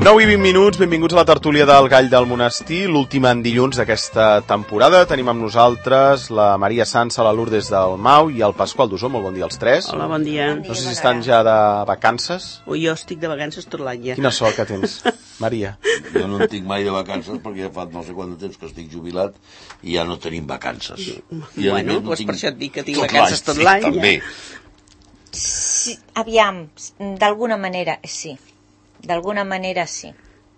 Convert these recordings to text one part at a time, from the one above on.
9 i 20 minuts, benvinguts a la tertúlia del Gall del Monestir, l'última en dilluns d'aquesta temporada. Tenim amb nosaltres la Maria Sansa, la Lourdes del Mau i el Pasqual Dusó. Molt bon dia als tres. Hola, bon dia. No sé si estan ja de vacances. Jo estic de vacances tot l'any ja. Quina sort que tens, Maria. Jo no en tinc mai de vacances perquè ja fa no sé quant de temps que estic jubilat i ja no tenim vacances. Bueno, doncs per això et dic que tinc vacances tot l'any. També. Sí, aviam, d'alguna manera sí,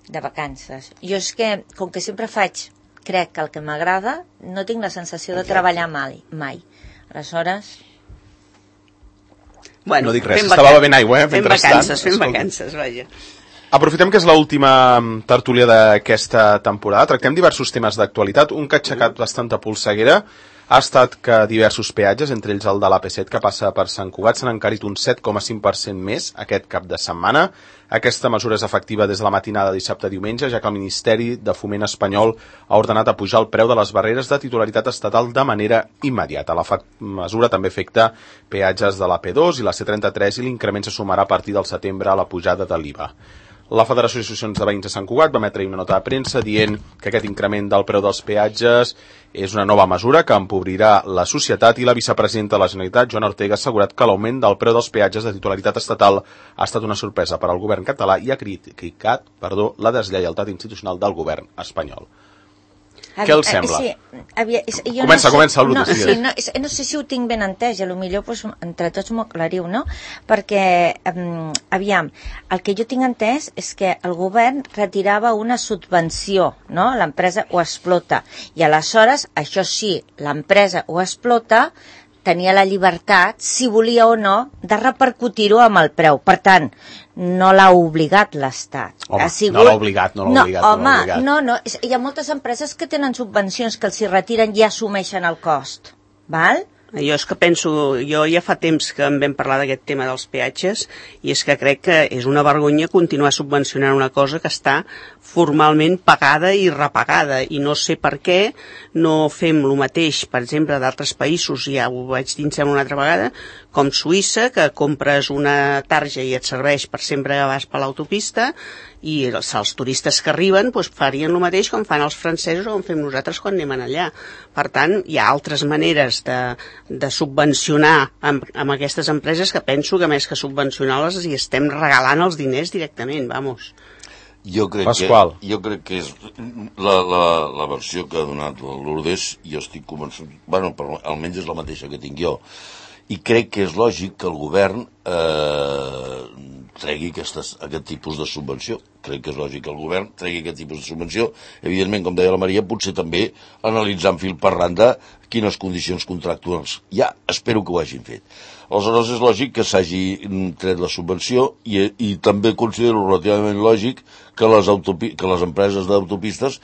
de vacances. Jo és que, com que sempre crec que el que m'agrada, no tinc la sensació de treballar mai. Aleshores... Bueno, no dic res, estava bevent aigua, Fem vacances, vaja. Aprofitem que és l'última tertúlia d'aquesta temporada. Tractem diversos temes d'actualitat. Un que ha aixecat bastanta polseguera ha estat que diversos peatges, entre ells el de l'AP7 que passa per Sant Cugat, s'han encarit un 7,5% més aquest cap de setmana. Aquesta mesura és efectiva des de la matinada de dissabte a diumenge, ja que el Ministeri de Foment espanyol ha ordenat apujar el preu de les barreres de titularitat estatal de manera immediata. La mesura també afecta peatges de l'AP2 i la C33 i l'increment se sumarà a partir del setembre a la pujada de l'IVA. La Federació d'Associacions de Veïns de Sant Cugat va emetre una nota de premsa dient que aquest increment del preu dels peatges és una nova mesura que empobrirà la societat i la vicepresidenta de la Generalitat, Joana Ortega, ha assegurat que l'augment del preu dels peatges de titularitat estatal ha estat una sorpresa per al govern català i ha criticat la deslleialtat institucional del govern espanyol. Què els sembla? Sí, comença, Lourdes. No sé si ho tinc ben entès, i potser pues, entre tots m'ho aclariu, no? Perquè, aviam, el que jo tinc entès és que el govern retirava una subvenció, no? L'empresa ho explota. I aleshores, això sí, l'empresa ho explota, tenia la llibertat, si volia o no, de repercutir-ho amb el preu. Per tant, no l'ha obligat l'Estat. Home, no l'ha obligat. No, hi ha moltes empreses que tenen subvencions que els hi retiren i assumeixen el cost. Val? Jo és que penso, jo ja fa temps que en vam parlar d'aquest tema dels peatges i és que crec que és una vergonya continuar subvencionant una cosa que està formalment pagada i repagada i no sé per què no fem el mateix, per exemple, d'altres països, ja ho vaig dir una altra vegada, com Suïssa, que compres una tarja i et serveix per sempre que vas per l'autopista i els turistes que arriben doncs, farien el mateix com fan els francesos o com fem nosaltres quan anem allà. Per tant, hi ha altres maneres de subvencionar amb aquestes empreses que penso que més que subvencionar-les hi estem regalant els diners directament, vamos. Jo crec que és la versió que ha donat el Lourdes, jo estic convençut, bueno, però almenys és la mateixa que tinc jo, i crec que és lògic que el govern tregui aquest tipus de subvenció. Crec que és lògic que el govern tregui aquest tipus de subvenció. Evidentment, com deia la Maria, potser també analitzant fil per randa quines condicions contractuals hi ha. Espero que ho hagin fet. Aleshores, és lògic que s'hagi tret la subvenció i també considero relativament lògic que les empreses d'autopistes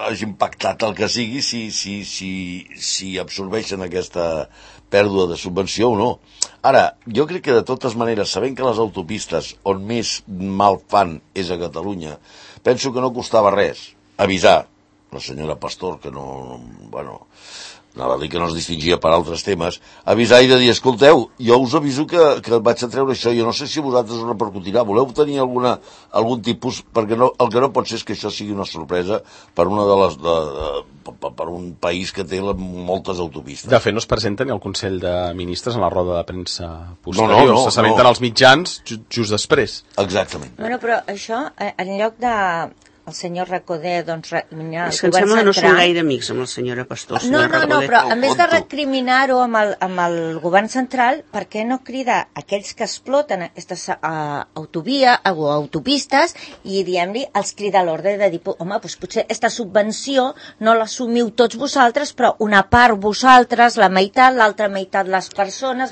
hagin pactat el que sigui si absorbeixen aquesta pèrdua de subvenció o no. Ara, jo crec que de totes maneres, sabent que les autopistes on més mal fan és a Catalunya, penso que no costava res avisar la senyora Pastor, que anava a dir que no es distingia per altres temes, avisar i de dir, escolteu, jo us aviso que vaig a treure això, jo no sé si vosaltres ho repercutirà, voleu tenir algun tipus, perquè el que no pot ser és que això sigui una sorpresa per per un país que té moltes autopistes. De fet, no es presenta ni al Consell de Ministres en la roda de premsa posterior, s'assabenten els mitjans just després. Exactament. Bueno, però això, en lloc de... el senyor Recoder, doncs, recriminar... És que em sembla que no són gaire amics amb la senyora Pastor. No, però en vez de recriminar-ho amb el govern central, per què no crida aquells que exploten aquestes autopistes i, diguem-li, els crida a l'ordre de dir, home, doncs potser aquesta subvenció no l'assumiu tots vosaltres, però una part vosaltres, la meitat, l'altra meitat les persones,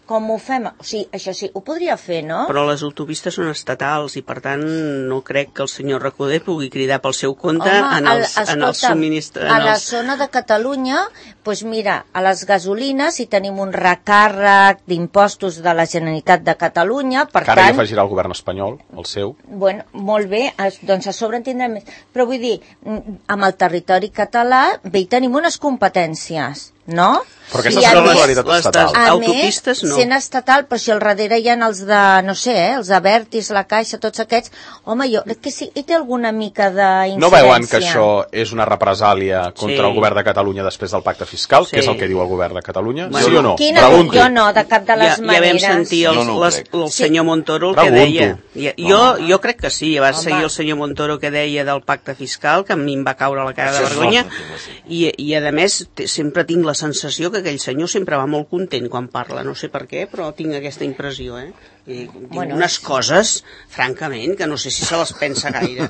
com ho fem? O sigui, això sí, ho podria fer, no? Però les autopistes són estatals i, per tant, no crec que el senyor Recoder pugui cridar pel seu compte. Home, en el subministrament. A la zona de Catalunya, doncs mira, a les gasolines hi tenim un recàrrec d'impostos de la Generalitat de Catalunya, per tant... Que ara hi afegirà el govern espanyol, el seu. Bueno, molt bé, doncs a sobre en tindrem més. Però vull dir, amb el territori català, bé, hi tenim unes competències, no? Però aquesta és una titularitat les estatal. A autopistes, més, no. sent estatal, però si al darrere hi ha els de, no sé, els de Vertis, la Caixa, tots aquests, home, jo crec que sí, hi té alguna mica d'incidència. No veuen que això és una represàlia contra Sí. el govern de Catalunya després del pacte fiscal, Sí. que és el que diu el govern de Catalunya? Bueno, Sí o no? Quina? Pregunto. Jo no, de cap de les Ja vam maneres. sentir Jo no ho crec. el senyor Montoro el que Pregunto. deia. Jo crec que sí, va Home. seguir el senyor Montoro que deia del pacte fiscal, que a mi em va caure la cara de Això és vergonya, nostre, i a més sempre tinc la sensació que aquell senyor sempre va molt content quan parla, no sé per què, però tinc aquesta impressió, I diu unes coses, francament, que no sé si se les pensa gaire.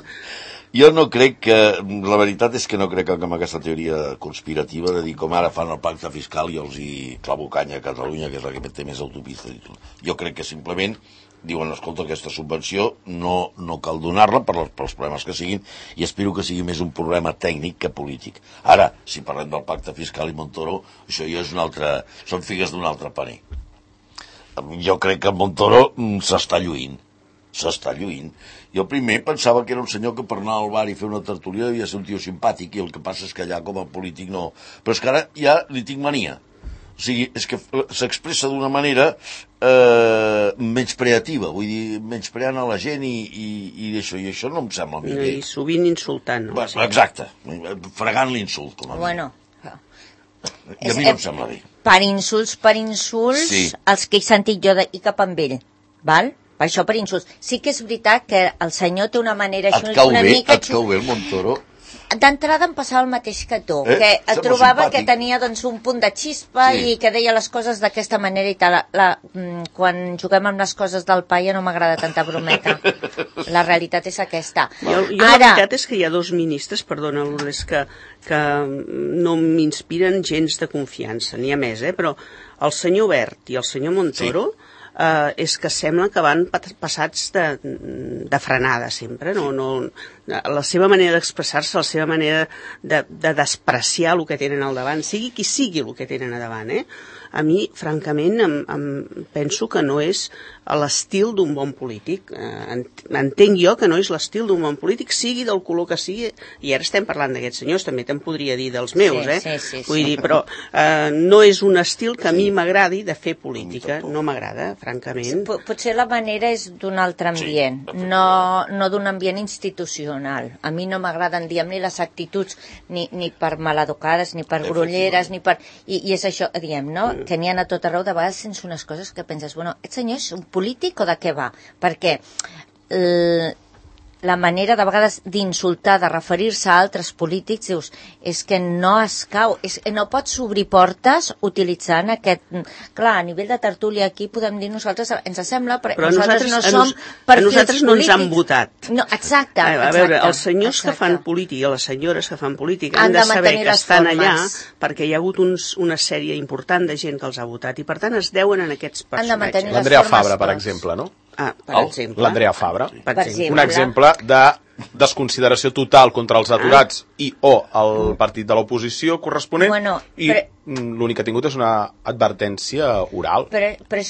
Jo no crec que... La veritat és que no crec que amb aquesta teoria conspirativa de dir com ara fan el pacte fiscal i els hi clavo canya a Catalunya, que és la que té més autopistes i tot. Jo crec que simplement diuen, escolta, aquesta subvenció no cal donar-la pels problemes que siguin i espero que sigui més un problema tècnic que polític. Ara, si parlem del pacte fiscal i Montoro, això ja és són figues d'un altre paner. Jo crec que Montoro s'està lluint. Jo primer pensava que era un senyor que per anar al bar i fer una tertúlia devia ser un tio simpàtic i el que passa és que allà com a polític no. Però és que ara ja li tinc mania. O sigui, és que s'expressa d'una manera menyspreativa, vull dir, menyspreant a la gent i això no em sembla a mi bé. I sovint insultant. No? Exacte, fregant l'insult, com a mi. Bueno, I a mi no em sembla bé. per insults, Sí. els que he sentit jo i cap amb ell, val? Per això per insults. Sí que és veritat que el senyor té una manera Et cau una bé, mica... et cau bé el Montoro? D'entrada em passava el mateix que tu, que Sembla trobava simpàtic. que tenia doncs, un punt de xispa Sí. i que deia les coses d'aquesta manera i tal. Quan juguem amb les coses del paia no m'agrada tanta brometa. La realitat és aquesta. Jo la veritat és que hi ha dos ministres, perdona, Lourdes, que no m'inspiren gens de confiança, ni a més, però el senyor Wert i el senyor Montoro és que sembla que van passats de frenada sempre, la seva manera d'expressar-se, la seva manera de despreciar el que tenen al davant, sigui qui sigui el que tenen a davant, a mi, francament, em penso que no és l'estil d'un bon polític. Entenc jo que no és l'estil d'un bon polític, sigui del color que sigui, i ara estem parlant d'aquests senyors, també te'n podria dir dels meus, Sí. Vull dir, però no és un estil que a mi m'agradi de fer política, no m'agrada, francament. Potser la manera és d'un altre ambient, no d'un ambient institucional. A mi no m'agraden, diguem, ni les actituds ni per maleducades, ni per grolleres, ni per... I és això, diguem, no?, que n'hi ha a tot arreu, de vegades sense unes coses que penses, bueno, aquest senyor és un polític o de què va? Perquè la manera de vegades d'insultar, de referir-se a altres polítics, dius, és que no escau, no pots obrir portes utilitzant aquest... Clar, a nivell de tertúlia aquí podem dir nosaltres, ens sembla, però nosaltres no som perfils nosaltres no ens han polítics. votat. No, exacte. A veure, els senyors que fan política i les senyores que fan política han de saber mantenir que les estan formes. allà perquè hi ha hagut una sèrie important de gent que els ha votat i per tant es deuen en aquests Han de mantenir personatges. L'Andrea formes Fabra, per tots. exemple, no? Per exemple. L'Andrea Fabra. Per exemple. Un exemple de desconsideració total contra els aturats i o el partit de l'oposició corresponent, i l'únic que ha tingut és una advertència oral. Però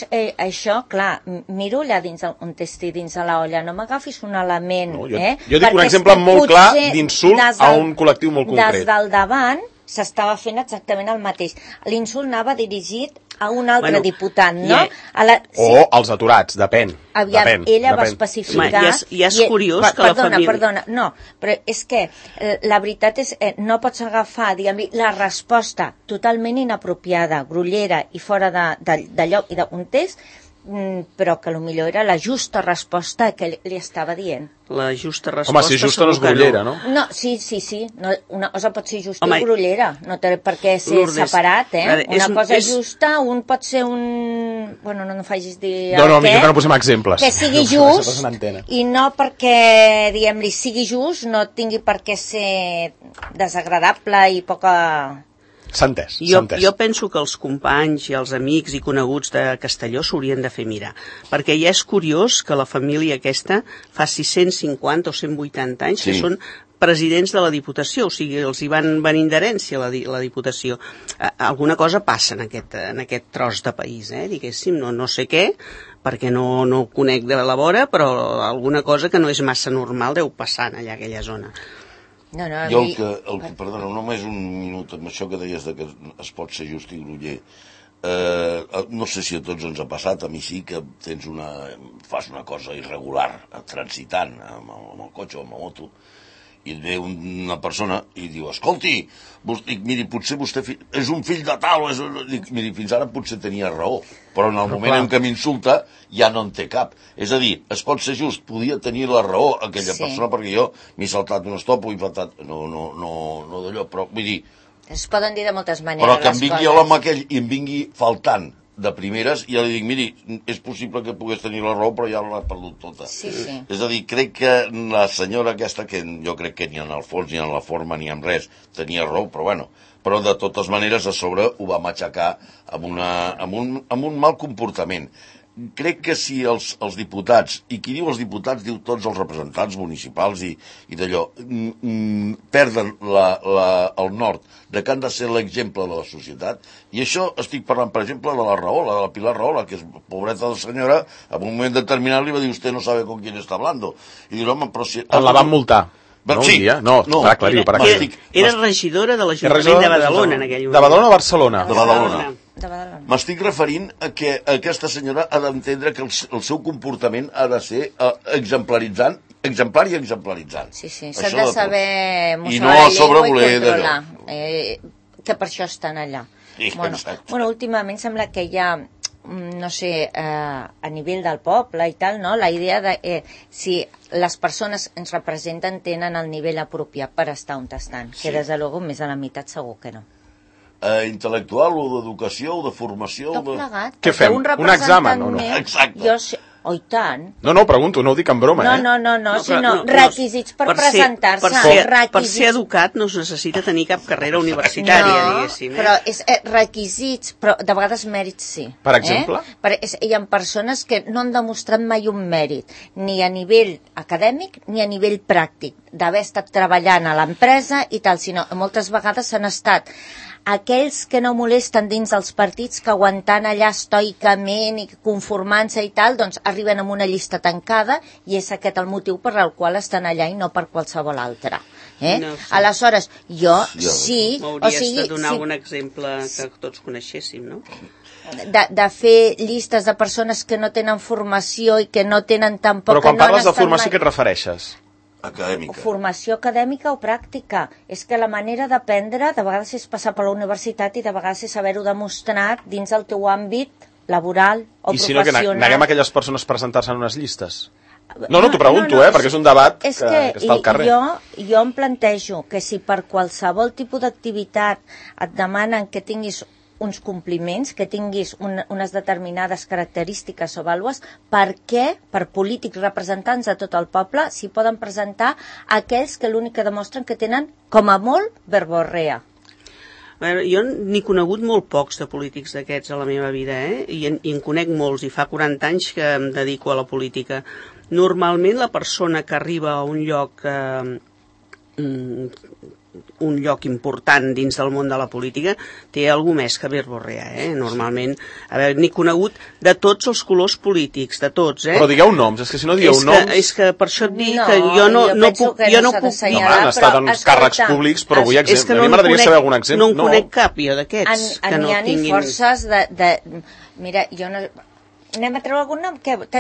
això, clar, miro allà dins on t'estigui dins de l'olla, no m'agafis un element, Jo dic un exemple molt clar d'insult a un col·lectiu molt concret. Des del davant s'estava fent exactament el mateix. L'insult anava dirigit a un altre diputat, no? O als aturats, depèn. Aviam, ella va especificar... I és curiós que la família... Perdona, no, però és que la veritat és no pots agafar, diguem-li, la resposta totalment inapropiada, grollera i fora de lloc i d'un context, però que potser era la justa resposta que li estava dient. La justa resposta... Home, si és justa no és grollera, no? No, sí. No, una cosa pot ser justa i grollera. No té per què ser separat, Una cosa justa, un pot ser un... Bueno, no facis dir... No, millor que no posem exemples. Que sigui just, i no perquè, diguem-li, sigui just, no tingui per què ser desagradable i poca... S'ha entès. Jo penso que els companys i els amics i coneguts de Castelló s'haurien de fer mirar, perquè ja és curiós que la família aquesta fa 650 o 180 anys que són presidents de la Diputació, o sigui, els hi van venint d'herència la Diputació. Alguna cosa passa en aquest tros de país, diguéssim, no sé què, perquè no ho conec de la vora, però alguna cosa que no és massa normal deu passar allà a aquella zona. Perdona, només un minut amb això que deies que es pot ser just i groller. No sé si a tots ens ha passat, a mi sí, que fas una cosa irregular transitant amb el cotxe o amb la moto, i et ve una persona i diu, escolti, miri, potser vostè és un fill de tal, miri, fins ara potser tenia raó, però en el moment en què m'insulta ja no en té cap. És a dir, es pot ser just, podia tenir la raó aquella persona, perquè jo m'he saltat un stop o he faltat, no d'allò, però vull dir... Es poden dir de moltes maneres. Però que em vingui l'home aquell i em vingui faltant de primeres, i ja li dic, miri, és possible que pogués tenir la raó, però ja l'ha perdut tota. Sí. És a dir, crec que la senyora aquesta, que jo crec que ni en el fons, ni en la forma, ni en res, tenia raó, però bueno, però de totes maneres a sobre ho va matxacar amb un mal comportament. Crec que si els diputats, i qui diu els diputats diu tots els representants municipals i d'allò, perden el nord de que han de ser l'exemple de la societat, i això estic parlant, per exemple, de la Rahola, de la Pilar Rahola, que és pobreta de senyora, en un moment determinat li va dir, usted no sabe con quién está hablando. I diu, home, però si... La van multar. No, sí, un dia? No, per aclarir-ho. Era regidora de l'Ajuntament de Badalona en aquell moment. De Badalona o Barcelona? De Badalona. M'estic referint a que aquesta senyora ha d'entendre que el seu comportament ha de ser exemplar i exemplaritzant. Sí, s'ha de saber i no a sobre voler d'allò. Que per això estan allà. Bueno, últimament sembla que hi ha, no sé, a nivell del poble i tal, no? La idea de si les persones ens representen tenen el nivell apropiat per estar on estan, que des de luego més de la meitat segur que no. Intel·lectual o d'educació o de formació... Tot plegat. Què fem? Un examen o no? Exacte. Oh, i tant. No, pregunto, no ho dic en broma, No, sinó requisits per presentar-se. Per ser educat no es necessita tenir cap carrera universitària, diguéssim. Però és requisits, però de vegades mèrits sí. Per exemple? Hi ha persones que no han demostrat mai un mèrit, ni a nivell acadèmic ni a nivell pràctic, d'haver estat treballant a l'empresa i tal, sinó moltes vegades s'han estat aquells que no molesten dins dels partits, que aguantant allà estoicament i conformant-se i tal, doncs arriben amb una llista tancada i és aquest el motiu per al qual estan allà i no per qualsevol altre. No sé. Aleshores, jo sí... M'hauries de donar algun exemple que tots coneixéssim, no? De fer llistes de persones que no tenen formació i que no tenen tampoc... Però quan parles de formació, què et refereixes? Acadèmica. Formació acadèmica o pràctica. És que la manera d'aprendre de vegades és passar per la universitat i de vegades és haver-ho demostrat dins del teu àmbit laboral o professional. I si no, que neguem aquelles persones presentar-se en unes llistes? No, t'ho pregunto, perquè és un debat que està al carrer. Jo em plantejo que si per qualsevol tipus d'activitat et demanen que tinguis uns compliments, que tinguis unes determinades característiques o vàlues, per què, per polítics representants de tot el poble, s'hi poden presentar aquells que l'únic que demostren que tenen, com a molt, verborrea? A veure, jo n'he conegut molt pocs de polítics d'aquests a la meva vida, i en conec molts, i fa 40 anys que em dedico a la política. Normalment la persona que arriba a un lloc important dins del món de la política té alguna més que verborrea, Normalment, a veure, n'he conegut de tots els colors polítics, de tots, Però digueu noms, és que si no dieu noms... És que per això et dic que jo no puc... No, han estat en càrrecs públics, però vull exemple. A mi m'agradaria saber algun exemple. No en conec cap, jo, d'aquests, que no tinguin... N'hi ha forces de... Mira, jo no... Anem a treure algun nom?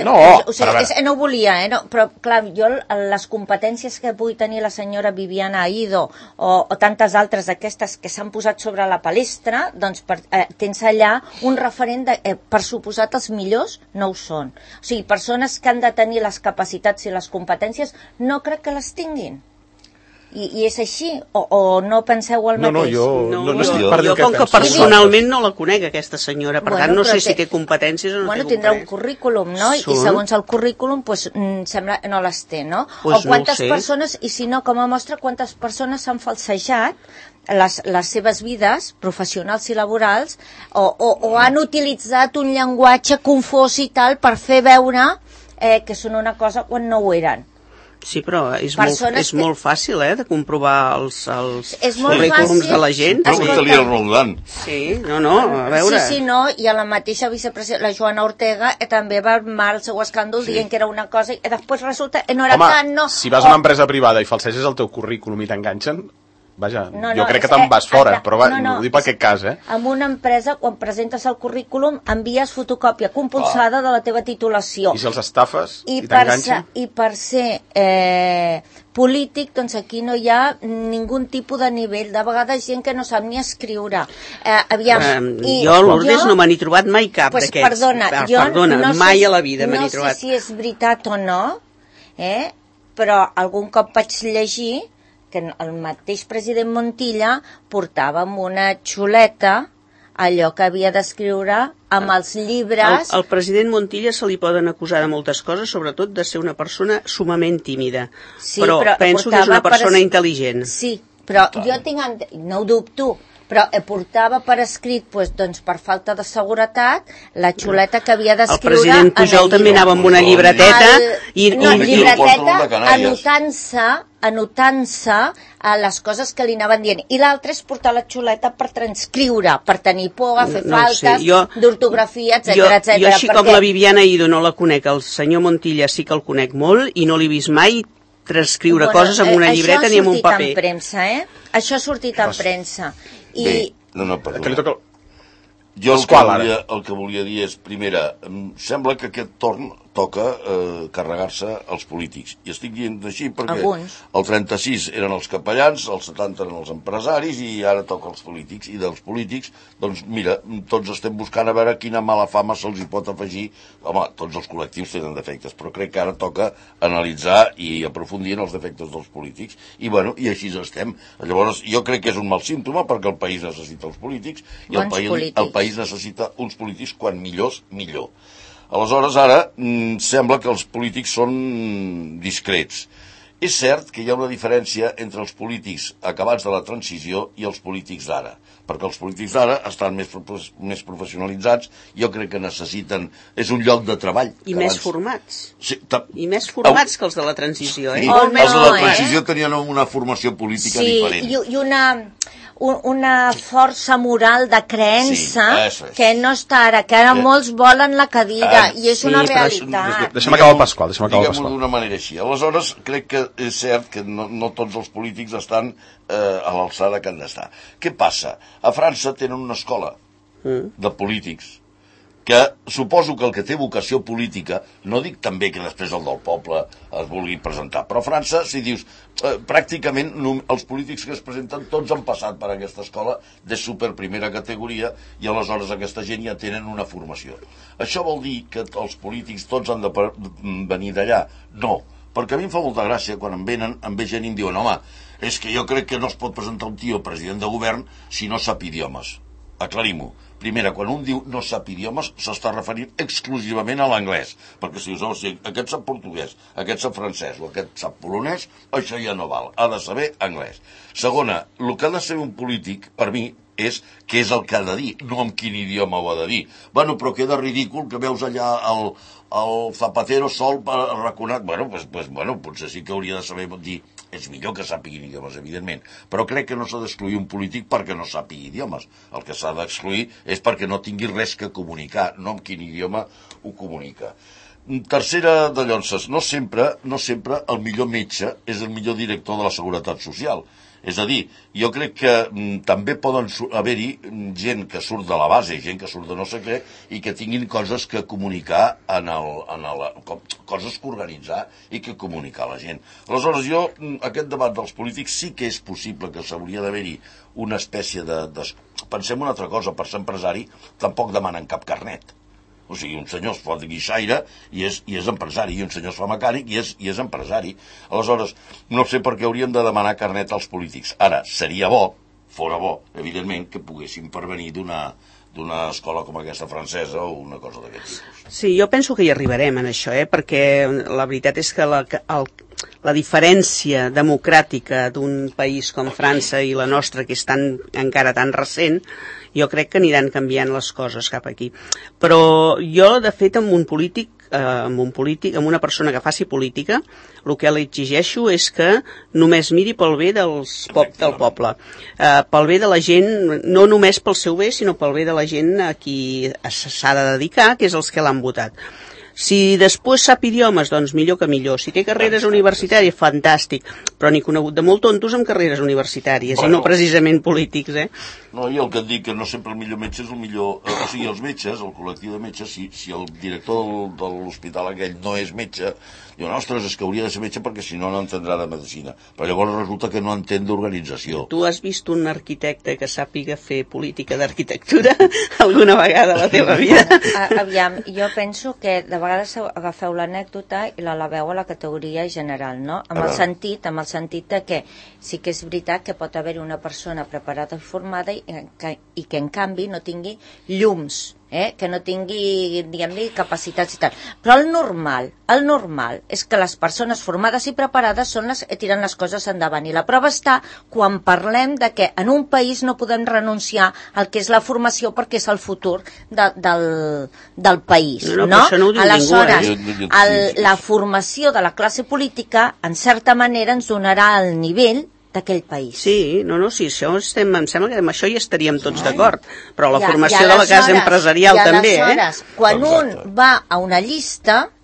No, no ho volia, però clar, jo les competències que pugui tenir la senyora Viviana Aido o tantes altres d'aquestes que s'han posat sobre la palestra, doncs tens allà un referent per suposat els millors no ho són. O sigui, persones que han de tenir les capacitats i les competències no crec que les tinguin. I és així? O no penseu el mateix? Jo com que personalment no la conec, aquesta senyora, per tant no sé si té competències o no té competències. Tindrà un currículum, no? I segons el currículum, sembla no les té, no? O quantes persones, i si no, com a mostra, quantes persones s'han falsejat les seves vides professionals i laborals o han utilitzat un llenguatge confós i tal per fer veure que són una cosa quan no ho eren. Sí, però és Persones molt fàcil, de comprovar els És molt currículums fàcil. de la gent. Pregunta-li al Roldán. Sí, no, a veure... Sí, no, i a la mateixa vicepresidenta, la Joana Ortega, també va armar el seu escàndol dient que era una cosa i després resulta que no era tant, no. Si vas a una empresa privada i falseges el teu currículum i t'enganxen, vaja, jo crec que te'n vas fora, però ho dic per aquest cas, En una empresa, quan presentes el currículum, envies fotocòpia compulsada de la teva titulació. I si els estafes i t'enganxen? I per ser polític, doncs aquí no hi ha ningun tipus de nivell. De vegades gent que no sap ni escriure. Jo, Lourdes, no me n'he trobat mai cap d'aquests. Perdona, mai a la vida me n'he trobat. No sé si és veritat o no, però algun cop vaig llegir que el mateix president Montilla portava amb una xuleta allò que havia d'escriure amb els llibres... Al president Montilla se li poden acusar de moltes coses, sobretot de ser una persona sumament tímida. Sí, però penso que és una persona intel·ligent. Sí, però jo no ho dubto, però portava per escrit, doncs per falta de seguretat, la xuleta que havia d'escriure... El president Pujol també anava amb una llibreteta... anotant-se les coses que li anaven dient. I l'altre és portar la xuleta per transcriure, per tenir por, a fer faltes d'ortografia, etc. Jo així com la Viviana Ido no la conec, el senyor Montilla sí que el conec molt i no l'he vist mai transcriure coses amb una llibreta ni amb un paper. Això ha sortit en premsa. Bé, perdó. Jo el que volia dir és, primera, em sembla que aquest torn toca carregar-se els polítics. I estic dient així perquè el 36 eren els capellans, el 70 eren els empresaris i ara toca els polítics. I dels polítics, doncs mira, tots estem buscant a veure quina mala fama se'ls hi pot afegir. Home, tots els col·lectius tenen defectes, però crec que ara toca analitzar i aprofundir en els defectes dels polítics. I bueno, i així estem. Llavors, jo crec que és un mal símptoma perquè el país necessita els polítics i el país necessita uns polítics quan millors, millor. Aleshores, ara, sembla que els polítics són discrets. És cert que hi ha una diferència entre els polítics acabats de la transició i els polítics d'ara, perquè els polítics d'ara estan més professionalitzats, jo crec que necessiten... És un lloc de treball. I més formats. I més formats que els de la transició, Els de la transició tenien una formació política diferent. Sí, i una força moral de creença que no està ara, que ara molts volen la cadira, i és una realitat. Deixa'm acabar el Pasqual. Diguem-ho d'una manera així. Aleshores, crec que és cert que no tots els polítics estan a l'alçada que han d'estar. Què passa? A França tenen una escola de polítics que suposo que el que té vocació política, no dic també que després el del poble es vulgui presentar, però a França, si dius, pràcticament els polítics que es presenten tots han passat per aquesta escola de super primera categoria i aleshores aquesta gent ja tenen una formació. Això vol dir que els polítics tots han de venir d'allà? No, perquè a mi em fa molta gràcia quan em ve gent i em diuen, home, és que jo crec que no es pot presentar un tio president de govern si no sap idiomes. Aclarim-ho. Primera, quan un diu no sap idiomes, s'està referint exclusivament a l'anglès. Perquè si aquest sap portuguès, aquest sap francès o aquest sap polonès, això ja no val. Ha de saber anglès. Segona, el que ha de ser un polític, per mi, és què és el que ha de dir, no en quin idioma ho ha de dir. Bueno, però queda ridícul que veus allà el Zapatero sol per raconar... Bueno, potser sí que hauria de saber dir... És millor que sàpiguin idiomes, evidentment, però crec que no s'ha d'excluir un polític perquè no sàpigui idiomes. El que s'ha d'excluir és perquè no tingui res que comunicar, no en quin idioma ho comunica. Tercera de llonces, no sempre el millor metge és el millor director de la Seguretat Social. És a dir, jo crec que també poden haver-hi gent que surt de la base, gent que surt de no sé què, i que tinguin coses que comunicar, coses que organitzar i que comunicar a la gent. Aleshores, jo, aquest debat dels polítics sí que és possible que s'hauria d'haver-hi una espècie de... Pensem una altra cosa, per ser empresari tampoc demanen cap carnet. O sigui, un senyor es pot guixaire i és empresari, i un senyor es fa mecànic i és empresari. Aleshores, no sé per què haurien de demanar carnet als polítics. Ara, seria bo, fora bo, evidentment, que poguessin pervenir d'una escola com aquesta francesa o una cosa d'aquest tipus. Sí, jo penso que hi arribarem en això, perquè la veritat és que la diferència democràtica d'un país com França i la nostra, que és encara tan recent, jo crec que aniran canviant les coses cap aquí. Però jo, de fet, amb un polític amb una persona que faci política, el que li exigeixo és que només miri pel bé del poble, pel bé de la gent, no només pel seu bé, sinó pel bé de la gent a qui s'ha de dedicar, que és els que l'han votat. Si després sap idiomes, doncs millor que millor. Si té carreres universitàries, fantàstic. Però n'he conegut de molt tontos amb carreres universitàries, i no precisament polítics, No, i el que et dic, que no sempre el millor metge és el millor... O sigui, els metges, el col·lectiu de metges, si el director de l'hospital aquell no és metge, diuen, ostres, és que hauria de ser metge perquè si no, no entendrà de medicina. Però llavors resulta que no entén d'organització. Tu has vist un arquitecte que sàpiga fer política d'arquitectura alguna vegada a la teva vida? Aviam, jo penso que de vegades agafeu l'anècdota i l'eleveu a la categoria general, no? Amb el sentit de que sí que és veritat que pot haver una persona preparada i formada i que en canvi no tingui llums, que no tingui, diguem-ne, capacitats i tal. Però el normal és que les persones formades i preparades són les que tiren les coses endavant. I la prova està quan parlem de que en un país no podem renunciar al que és la formació perquè és el futur del país. No? Aleshores, la formació de la classe política, en certa manera, ens donarà el nivell d'aquell país. Sí, sí, em sembla que amb això hi estaríem tots d'acord, però la formació de la classe empresarial també, quan un va a una llista,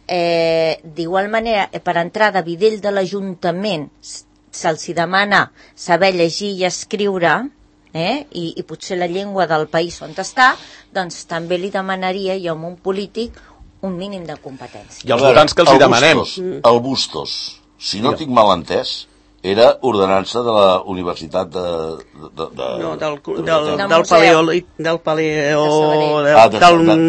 d'igual manera, per entrar de videll de l'Ajuntament, se'ls demana saber llegir i escriure, i potser la llengua del país on està, doncs també li demanaria jo a un polític un mínim de competència. I els votants que els hi demanem? El Bustos, si no tinc mal entès, era ordenança de la Universitat del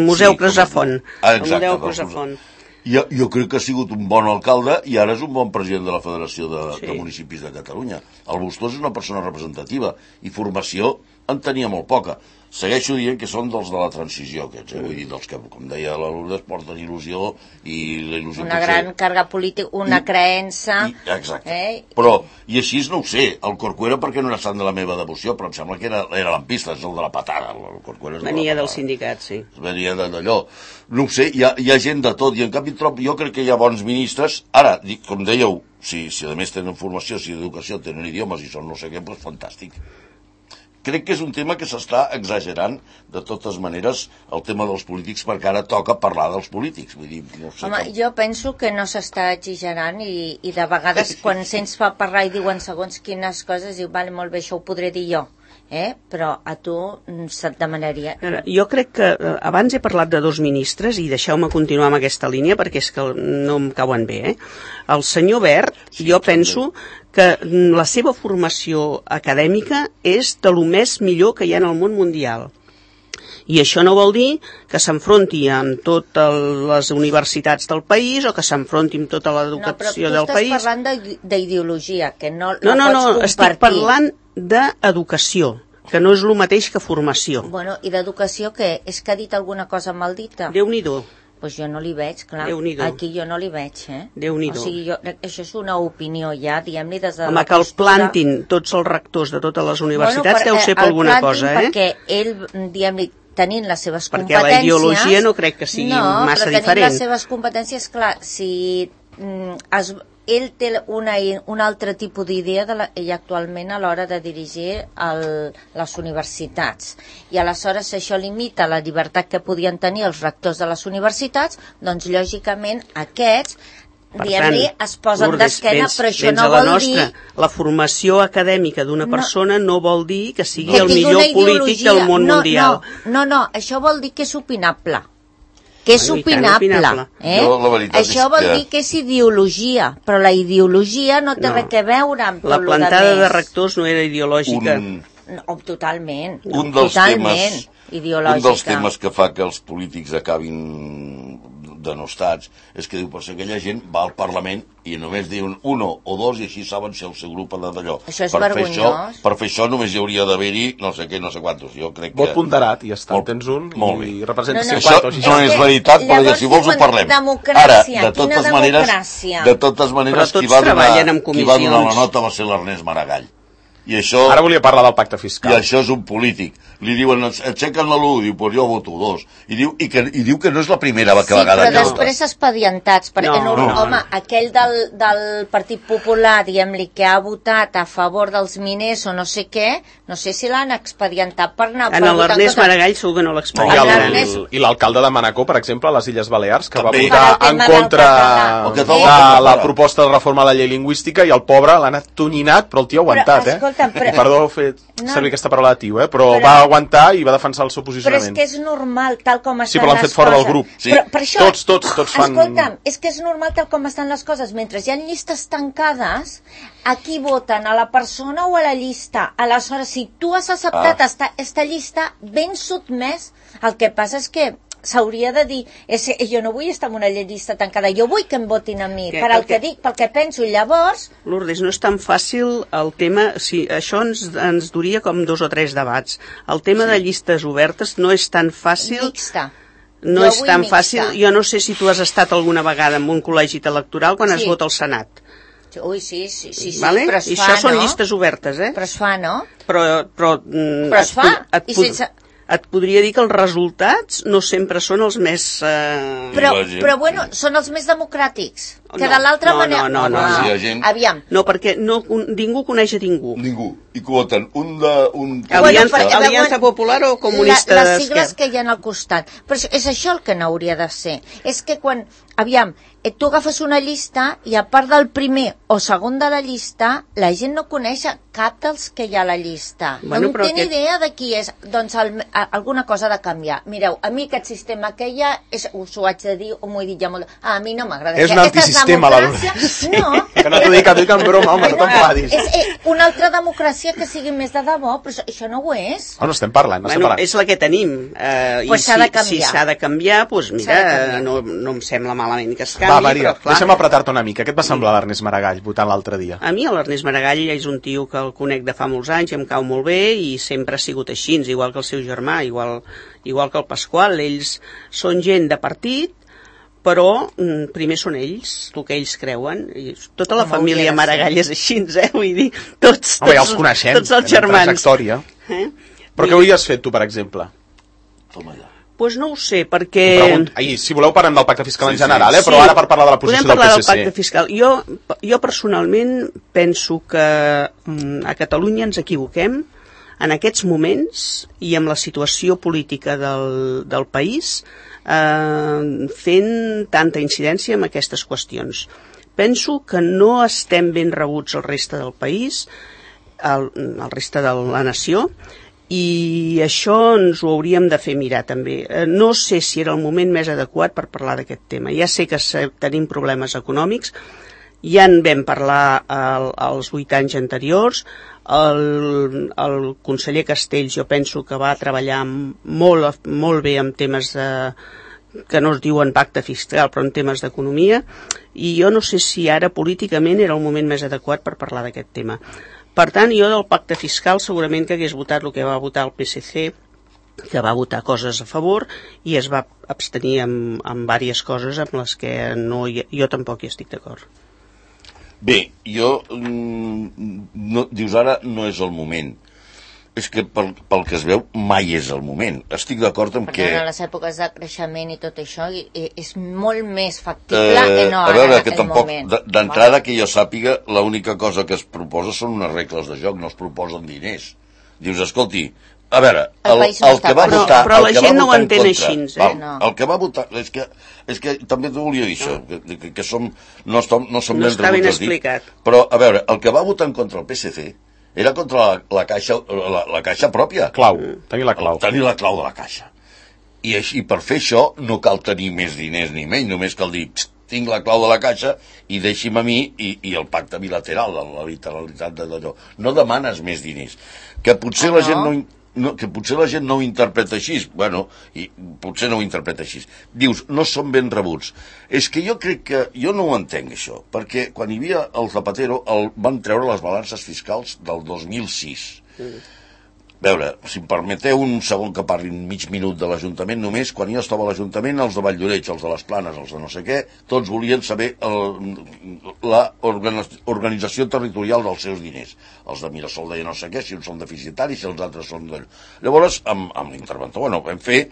Museu Cresafont. Exacte. Jo crec que ha sigut un bon alcalde i ara és un bon president de la Federació de Municipis de Catalunya. El Bustos és una persona representativa i formació en tenia molt poca. Segueixo dient que són dels de la transició, aquests, vull dir, dels que, com deia la Lourdes, porten il·lusió i la il·lusió... Una gran càrrega política, una creença... Exacte. Però, i així no ho sé, el Corcuera perquè no era sant de la meva devoció, però em sembla que era lampista, és el de la patada. Venia del sindicat, sí. Venia d'allò. No ho sé, hi ha gent de tot, i en canvi jo crec que hi ha bons ministres. Ara, com dèieu, si a més tenen formació, si d'educació tenen idiomes i són no sé què, doncs fantàstic. Crec que és un tema que s'està exagerant, de totes maneres, el tema dels polítics, perquè ara toca parlar dels polítics. Vull dir, no sé. Home, jo penso que no s'està exagerant i de vegades quan se'ns fa parlar i diuen segons quines coses, diu, vale, molt bé, això ho podré dir jo. Però a tu se't demanaria... Jo crec que abans he parlat de dos ministres i deixeu-me continuar amb aquesta línia perquè és que no em cauen bé. El senyor Wert, jo penso que la seva formació acadèmica és de lo més millor que hi ha en el món mundial. I això no vol dir que s'enfronti amb totes les universitats del país o que s'enfronti amb tota l'educació del país. No, però tu estàs parlant d'ideologia, que no la pots compartir. No, estic parlant d'educació, que no és el mateix que formació. Bueno, i d'educació què? És que ha dit alguna cosa maldita? Déu-n'hi-do. Pues jo no li veig, clar. Aquí jo no li veig, Déu-n'hi-do. O sigui, això és una opinió ja, diguem-ne, des de home, que el plantin tots els rectors de totes les universitats deu ser per alguna cosa, perquè ell, diguem-ne, tenint les seves competències... Perquè la ideologia no crec que sigui massa diferent. No, però tenint les seves competències, clar, si ell té un altre tipus d'idea i actualment a l'hora de dirigir les universitats. I aleshores això limita la llibertat que podien tenir els rectors de les universitats, doncs lògicament aquests es posen d'esquena, però això no vol dir... La formació acadèmica d'una persona no vol dir que sigui el millor polític del món mundial. No, això vol dir que és opinable. Que és opinable. Això vol dir que és ideologia, però la ideologia no té res a veure amb la plantada de rectors no era ideològica. Totalment. Un dels temes que fa que els polítics acabin denostats és que diu, per si aquella gent va al Parlament i només diuen uno o dos i així saben si el seu grup ha d'allò. Això és vergonyós. Per fer això només hi hauria d'haver-hi no sé què, no sé quantos. Jo crec que... Vot ponderat, i ja està, tens un i representa 50 o 60. Això no és veritat, però si vols ho parlem. Ara, de totes maneres, qui va donar la nota va ser l'Ernest Maragall. I això, ara volia parlar del pacte fiscal. I això és un polític. li diuen, aixequen la l'1, diu, pues jo voto 2. I diu que no és la primera vegada però que després expedientats, perquè home, aquell del Partit Popular, diguem-li, que ha votat a favor dels miners o no sé què, no sé si l'han expedientat per anar... En l'Ernest Maragall segur que no l'expedientaran. I l'alcalde de Manacor, per exemple, a les Illes Balears, que va També. votar en contra de la proposta de reforma de la llei lingüística, i el pobre l'ha anat tonyinat, però el tio ha aguantat, Perdó fer servir aquesta paraula de tio, però va aguantar i va defensar el seu posicionament. Però és que és normal, tal com estan les coses. Sí, però l'han fet fora del grup. Sí. Per això, tots fan... Escolta'm, és que és normal tal com estan les coses. Mentre hi ha llistes tancades, a qui voten? A la persona o a la llista? Aleshores, si tu has acceptat esta llista, ben sotmès, el que passa és que s'hauria de dir, jo no vull estar en una llista tancada, jo vull que em votin a mi, per el que dic, pel que penso, i llavors... Lourdes, no és tan fàcil el tema, això ens duria com 2 o 3 debats. El tema de llistes obertes no és tan fàcil... Mixta. No és tan fàcil. Jo no sé si tu has estat alguna vegada en un col·legi electoral quan es vota al Senat. Ui, sí, vale? Però es fa, I això són no? llistes obertes, Però es fa, no? Però es fa, i sense... Et podria dir que els resultats no sempre són els més... Però bueno, són els més democràtics. Que de l'altra manera... No. Aviam. No, perquè ningú coneix a ningú. Ningú. I que voten Aliança Popular o Comunista d'Esquerra. Les sigles que hi ha al costat. Però és això el que no hauria de ser. És que quan... Aviam, tu agafes una llista i a part del primer o segon de la llista, la gent no coneix cap dels que hi ha a la llista. No té ni idea de qui és. Doncs alguna cosa ha de canviar. Mireu, a mi aquest sistema que hi ha, us ho haig de dir, o m'ho he dit ja molt... A mi no m'agrada. És un antisistema, la Lourdes. No. Que no t'ho dic en broma, home, no t'enfadis. És una altra democràcia que sigui més de debò, però això no ho és. No estem parlant, és la que tenim. Pues s'ha de canviar. Si s'ha de canviar, doncs mira, no em sembla malament que es canvi. Va, Maria, deixa'm apretar-te una mica. Què et va semblar l'Ernest Maragall votant l'altre dia? A mi l'Ernest Maragall és un tio que el conec de fa molts anys i em cau molt bé i sempre ha sigut així, igual que el seu germà, igual que el Pasqual. Ells són gent de partit, però primer són ells, el que ells creuen. I tota la família Maragall és així, vull dir, tots els coneixem, tots els germans. Però què hauries fet tu, per exemple? Toma allà. Doncs no ho sé, perquè... Si voleu parlem del pacte fiscal en general, però ara per parlar de la posició del PSC. Podem parlar del pacte fiscal. Jo personalment penso que a Catalunya ens equivoquem en aquests moments i amb la situació política del país fent tanta incidència en aquestes qüestions. Penso que no estem ben rebuts al reste del país, al reste de la nació, i això ens ho hauríem de fer mirar també. No sé si era el moment més adequat per parlar d'aquest tema. Ja sé que tenim problemes econòmics, ja en vam parlar als 8 anys anteriors. El conseller Castells jo penso que va treballar molt bé en temes que no es diuen pacte fiscal, però en temes d'economia, i jo no sé si ara políticament era el moment més adequat per parlar d'aquest tema. Per tant, jo del pacte fiscal segurament que hagués votat el que va votar el PSC, que va votar coses a favor i es va abstenir en diverses coses amb les que jo tampoc hi estic d'acord. Bé, dius ara no és el moment. És que pel que es veu mai és el moment. Estic d'acord amb que... En les èpoques de creixement i tot això és molt més factible que no ara en aquell moment. D'entrada, que jo sàpiga, l'única cosa que es proposa són unes regles de joc, no es proposen diners. Dius, escolti, a veure, el que va votar... Però la gent no ho entén així, El que va votar... És que també t'ho volia dir això, que no som ben rebuts a dir. Però, a veure, el que va votar en contra el PSC era contra la caixa pròpia. Tenir la clau. Tenir la clau de la caixa. I per fer això no cal tenir més diners ni menys, només cal dir, tinc la clau de la caixa i deixi'm a mi i el pacte bilateral, la literalitat d'allò. No demanes més diners. Que potser la gent no ho interpreta així. Bueno, i potser no ho interpreta així. Dius, no són ben rebuts. És que jo crec que... Jo no ho entenc, això, perquè quan hi havia el Zapatero van treure les balances fiscals del 2006. veure, si em permeteu un segon que parli un mig minut de l'Ajuntament, només quan jo estava a l'Ajuntament, els de Valldoreix, els de les Planes, els de no sé què, tots volien saber la organització territorial dels seus diners. Els de Mirasol deien no sé què, si uns són deficitaris, si els altres són d'allò. Llavors, amb l'interventor, vam fer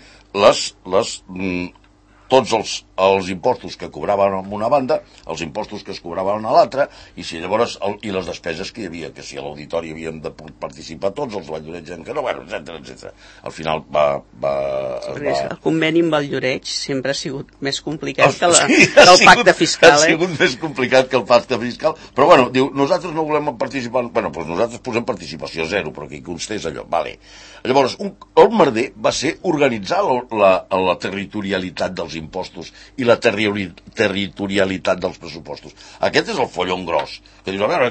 tots els impostos que cobraven a una banda, els impostos que es cobraven a l'altra, i si llavors i les despeses que hi havia, que si a l'auditori havíem de participar tots, els Valldoreix que no, bueno, etc. Al final el conveni amb Valldoreix sempre ha sigut més complicat que el pacte fiscal. Ha sigut més complicat que el pacte fiscal, però bueno, diu, nosaltres no volem participar, bueno, doncs nosaltres posem participació zero, però que hi constés allò, vale. Llavors, el merder va ser organitzar la territorialitat dels impostos i la territorialitat dels pressupostos. Aquest és el follon gros. Que dius, a veure,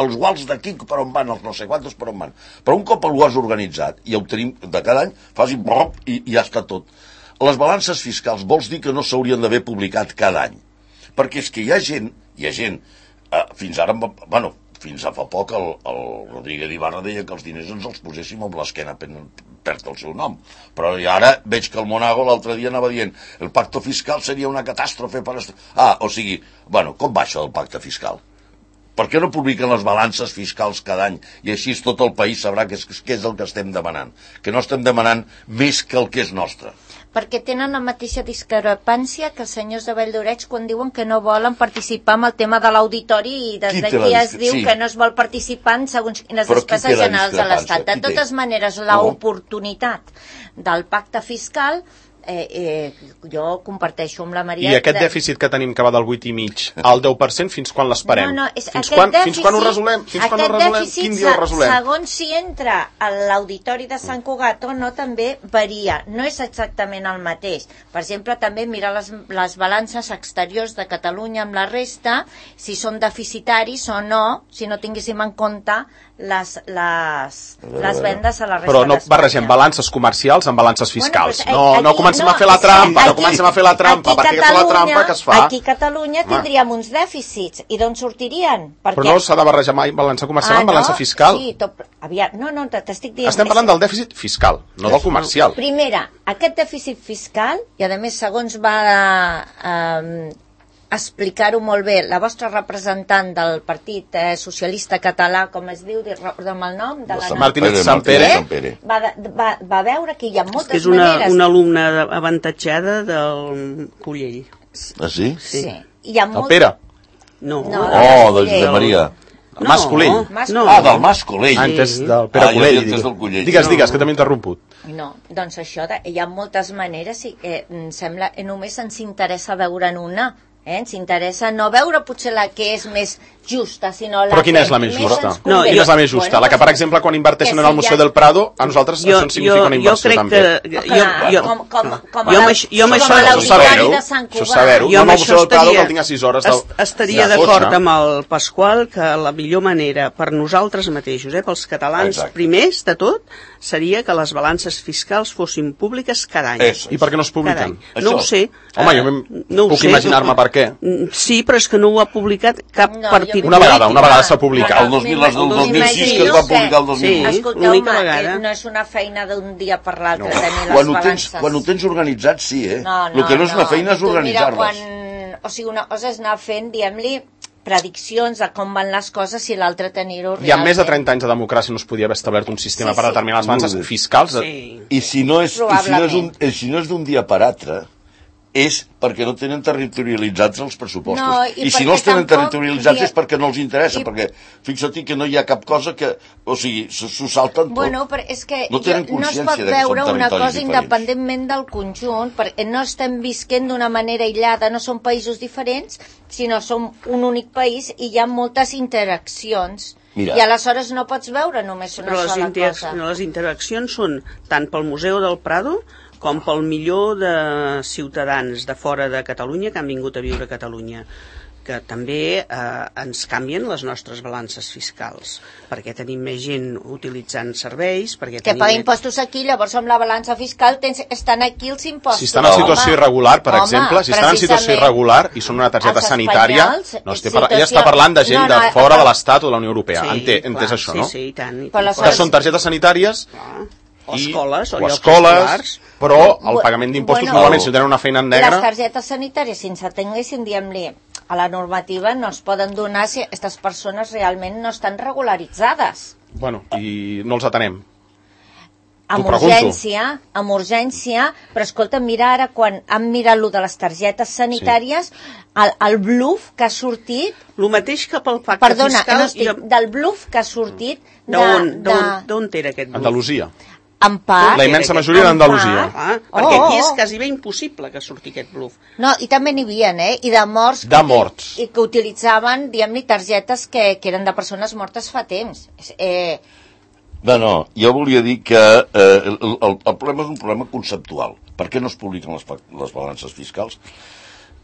els guals d'aquí per on van, els no sé quantos per on van. Però un cop ho has organitzat i ho tenim de cada any, fas i ja està tot. Les balances fiscals vols dir que no s'haurien d'haver publicat cada any. Perquè és que hi ha gent, fins ara, bueno, fins a fa poc el Rodríguez Ibarra deia que els diners ens els poséssim amb l'esquena, perd el seu nom. Però ara veig que el Monago l'altre dia anava dient el pacte fiscal seria una catàstrofe per... o sigui, bueno, com va això del pacte fiscal? Per què no publiquen les balances fiscals cada any i així tot el país sabrà què és el que estem demanant? Que no estem demanant més que el que és nostre. Perquè tenen la mateixa discrepància que els senyors de Valldoreix quan diuen que no volen participar amb el tema de l'auditori i des d'aquí es diu que no es vol participar en segons quines despeses generals de l'Estat. De totes maneres, l'oportunitat del pacte fiscal jo comparteixo amb la Maria... I aquest dèficit que tenim que va del 8,5 al 10%, fins quan l'esperem? Fins quan ho resolem? Quin dia ho resolem? Segons si entra a l'auditori de Sant Cugat o no, també varia. No és exactament el mateix. Per exemple, també mirar les balances exteriors de Catalunya amb la resta, si són deficitaris o no, si no tinguéssim en compte les vendes a la resta però no d'Espanya. Barregem balances comercials amb balances fiscals. No comencem a fer la trampa, perquè aquesta és la trampa que es fa. Aquí a Catalunya tindríem uns dèficits. I d'on sortirien? Però no s'ha de barrejar mai balança comercial amb balança fiscal. Sí, no, t'estic dient... Estem parlant del dèficit fiscal, no del comercial. Primera, aquest dèficit fiscal, i a més segons va explicar-ho molt bé la vostra representant del Partit Socialista Català, com es diu, recorda'm el nom, de la Martínez Sampere, va veure que hi ha moltes és una alumna avantatjada del Collell. Ah, sí? Sí. El Pere? No. De Josep Maria. Mas Collell. Del Mas Collell. Antes del Pere Collell. Digues, que t'hem interromput. No, doncs això, hi ha moltes maneres i em sembla, només ens interessa veure'n una. Ens interessa no veure potser la que és més justa, sinó la però quina és la més justa? Quina és la més justa? La que, per exemple, quan inverteixen en el Museu del Prado, a nosaltres això ens significa una inversió també. Jo amb això... Això saber-ho. Jo amb això estaria d'acord amb el Pasqual que la millor manera per nosaltres mateixos, pels catalans primers de tot, seria que les balances fiscals fossin públiques cada any. I per què no es publiquen? No ho sé. Home, jo puc imaginar-me per què. Sí, però és que no ho ha publicat cap partit. Una vegada s'ha publicat. El 2006 que es va publicar el 2008. Escolteu-me, no és una feina d'un dia per l'altre tenir les balances. Quan ho tens organitzat, sí, El que no és una feina és organitzar-les. O sigui, una cosa és anar fent, diguem-li, prediccions de com van les coses i l'altre tenir-ho realment. I amb més de 30 anys de democràcia no es podia haver establert un sistema per determinar les balances fiscals. I si no és d'un dia per altre, és perquè no tenen territorialitzats els pressupostos. I si no els tenen territorialitzats és perquè no els interessa, perquè fixa't que no hi ha cap cosa que... O sigui, s'ho salten tot. Bueno, però és que no es pot veure una cosa independentment del conjunt, perquè no estem visquent d'una manera aïllada, no són països diferents, sinó som un únic país i hi ha moltes interaccions. I aleshores no pots veure només una sola cosa. Les interaccions són tant pel Museu del Prado com pel milió de ciutadans de fora de Catalunya que han vingut a viure a Catalunya. que també ens canvien les nostres balances fiscals, perquè tenim més gent utilitzant serveis, perquè que paga impostos aquí, llavors amb la balança fiscal estan aquí els impostos. Si estan en situació irregular, per exemple, si estan en situació irregular i són una targeta sanitària, ella està parlant de gent de fora de l'Estat o de la Unió Europea. Entès això, no? Sí, i tant. Que són targetes sanitàries o escoles, o escoles, però el pagament d'impostos normalment si tenen una feina en negre... Les targetes sanitàries, si ens atenguéssim, diguem-li, a la normativa no es poden donar si aquestes persones realment no estan regularitzades. Bueno, i no els atenem. Amb urgència, però escolta, mira ara quan han mirat lo de les targetes sanitàries, el bluff que ha sortit... El mateix que pel pacte fiscal... del bluff que ha sortit... D'on era aquest bluff? Andalusia. En part... La immensa majoria d'Andalusia. Perquè aquí és quasi bé impossible que surti aquest bluff. No, i també n'hi havia, i de morts. De morts. I que utilitzaven, diguem-li, targetes que eren de persones mortes fa temps. No, jo volia dir que el problema és un problema conceptual. Per què no es publiquen les balances fiscals?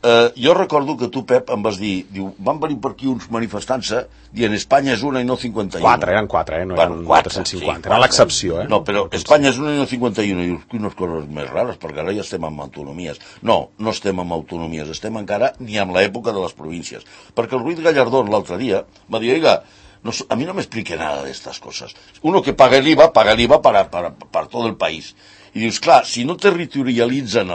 Jo recordo que tu, Pep, em vas dir, van venir per aquí uns manifestants dient Espanya és una i no 51. Eren 4, no eren 450, era l'excepció. No, però Espanya és una i no 51, i dius, unes coses més rares, perquè ara ja estem amb autonomies. No estem amb autonomies, estem encara ni amb l'època de les províncies. Perquè el Ruiz Gallardón l'altre dia va dir, oiga, a mí no me explique nada de estas cosas. Uno que paga el IVA para todo el país. I dius, clar, si no territorialitzen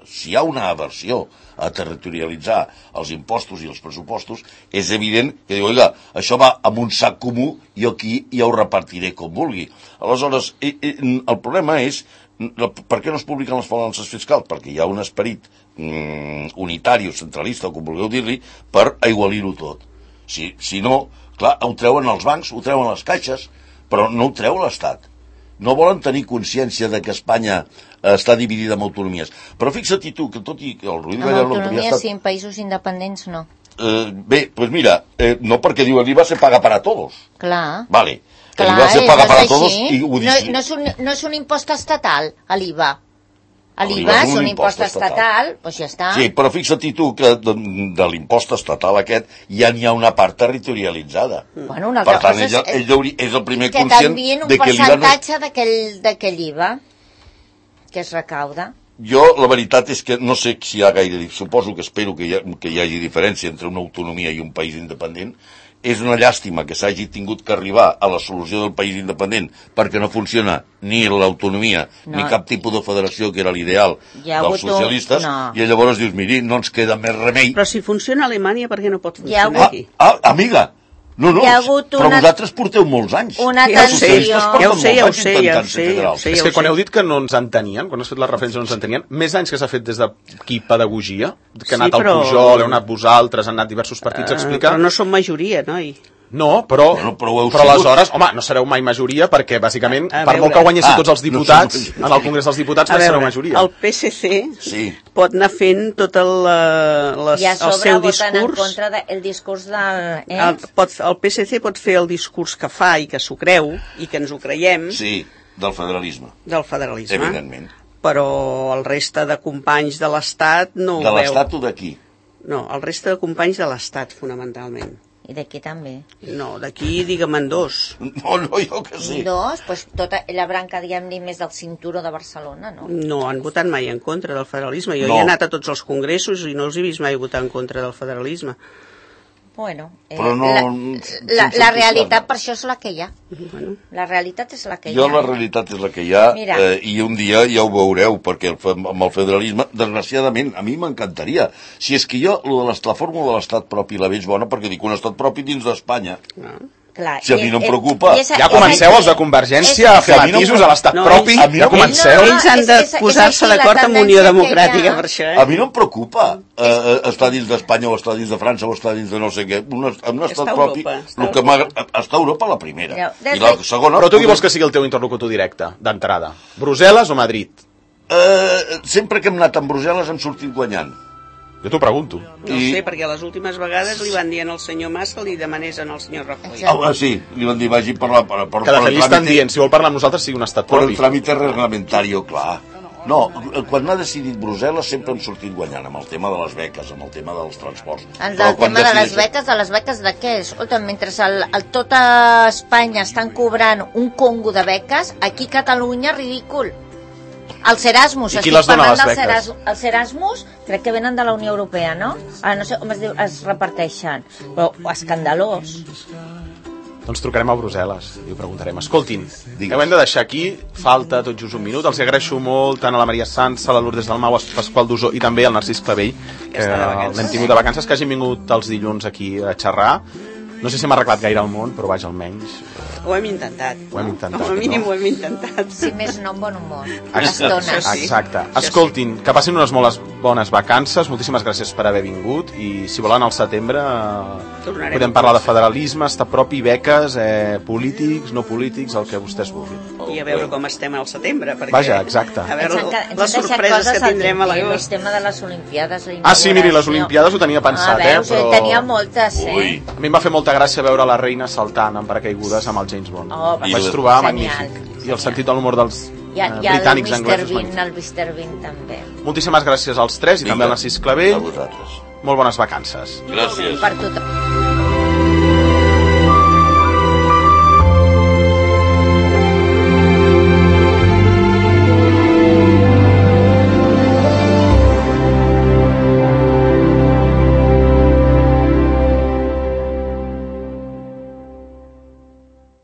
si hi ha una aversió a territorialitzar els impostos i els pressupostos, és evident que diu, oiga, això va amb un sac comú i aquí ja ho repartiré com vulgui. Aleshores, el problema és, per què no es publiquen les balances fiscals? Perquè hi ha un esperit unitari o centralista, o com vulgueu dir-li, per aigualir-ho tot. Si no, clar, ho treuen els bancs, ho treuen les caixes, però no ho treu l'Estat. No volen tenir consciència de que Espanya està dividida en autonomies. Però fixa't tu, que tot i que el Ruiz Gallardón... En autonomies sí, en països independents no. Bé, doncs mira, no perquè diu el IVA se paga para todos. Clar. Vale. El IVA se paga para todos i ho dic. No és un impost estatal, l'IVA. L'IVA és un impost estatal, doncs ja està. Sí, però fixa't tu que de l'impost estatal aquest ja n'hi ha una part territorialitzada. Bueno, una altra cosa és el primer conscient de que l'IVA... Que també un percentatge d'aquell IVA que es recauda. Jo, la veritat és que no sé si hi ha gaire... Suposo que espero que hi hagi diferència entre una autonomia i un país independent. És una llàstima que s'hagi tingut que arribar a la solució del país independent perquè no funciona ni l'autonomia ni cap tipus de federació que era l'ideal dels socialistes i llavors dius, miri, no ens queda més remei. Però si funciona a Alemanya, per què no pot funcionar aquí? Amiga, no, però vosaltres porteu molts anys. Una atenció. Ja ho sé. És que quan heu dit que no ens entenien, quan has fet la referència no ens entenien, més anys que s'ha fet des d'aquí pedagogia, que ha anat el Pujol, heu anat vosaltres, han anat diversos partits a explicar... Però no som majoria, noi. No, però aleshores, home, no sereu mai majoria perquè, bàsicament, per molt que guanyessin tots els diputats en el Congrés dels Diputats, no sereu majoria. El PSC pot anar fent tot el seu discurs... I a sobre voten en contra del discurs del... El PSC pot fer el discurs que fa i que s'ho creu i que ens ho creiem... Sí, del federalisme. Del federalisme. Evidentment. Però el reste de companys de l'Estat no ho veu. De l'Estat o d'aquí? No, el reste de companys de l'Estat, fonamentalment. I d'aquí també? No, d'aquí digue'm en dos. No, jo que sí. Dos? Doncs tota la branca, diguem-ne, més del cinturó de Barcelona, no? No, han votat mai en contra del federalisme. Jo he anat a tots els congressos i no els he vist mai votar en contra del federalisme. Bueno, però no, la realitat per això és la que hi ha. La realitat és la que hi ha. La realitat és la que hi ha i un dia ja ho veureu, perquè amb el federalisme, desgraciadament, a mi m'encantaria. Si és que jo, la fórmula de l'estat propi la veig bona, perquè dic un estat propi dins d'Espanya. Clar, si a mi no em preocupa... Ja comenceu els de Convergència a fer matisos a l'estat propi, ja comenceu. Ells han de posar-se d'acord amb Unió Democràtica per això. A mi no em preocupa estar dins d'Espanya o estar dins de França o estar dins de no sé què. Un estat propi... Està Europa la primera. I la segona... Però tu qui vols que sigui el teu interlocutor directe, d'entrada? Brussel·les o Madrid? Sempre que hem anat amb Brussel·les hem sortit guanyant. Jo t'ho pregunto. No sé, perquè les últimes vegades li van dir al senyor Mas que li demanés al senyor Rajoy. Sí, li van dir vagi per la... Que de fet li estan dient, si vol parlar amb nosaltres sigui un estat propi. Per el tràmite reglamentari, clar. No, quan ha decidit Brussel·les sempre hem sortit guanyant amb el tema de les beques, amb el tema dels transports. El tema de les beques de què? Escolta, mentre tota Espanya estan cobrant un congo de beques, aquí a Catalunya ridícul. Els Erasmus, estic parlant dels Erasmus, crec que venen de la Unió Europea, no? Ara no sé com es reparteixen, però escandalós. Doncs trucarem a Brussel·les i ho preguntarem. Escoltin, ho hem de deixar aquí, falta tot just un minut. Els agraeixo molt tant a la Maria Sanz, a la Lourdes Dalmau, a Pasqual Dusó i també al Narcís Clavell, que l'hem tingut de vacances, que hagin vingut els dilluns aquí a xerrar. No sé si m'ha arreglat gaire el món, però vaja, almenys... Ho hem intentat. Ho hem intentat. Com a mínim ho hem intentat. Si més no, un bon humor. Exacte. Escoltin, que passin unes molt bones vacances. Moltíssimes gràcies per haver vingut. I si volen al setembre podem parlar de federalisme, estar propi, beques, polítics, no polítics, el que vostès vulguin. I a veure com estem al setembre. Vaja, exacte. A veure les sorpreses que tindrem a l'agost. El tema de les Olimpiades. Sí, miri, les Olimpiades ho tenia pensat, però... Tenia moltes, A mi em va fer molta gràcia veure la reina saltant en paracaigudes amb el James Bond. Vaig trobar magnífic. I el sentit de l'humor dels britànics anglesos. El Mr. Bean també. Moltíssimes gràcies als tres i també al Narcís Clavell. A vosaltres. Molt bones vacances. Gràcies. Per tothom.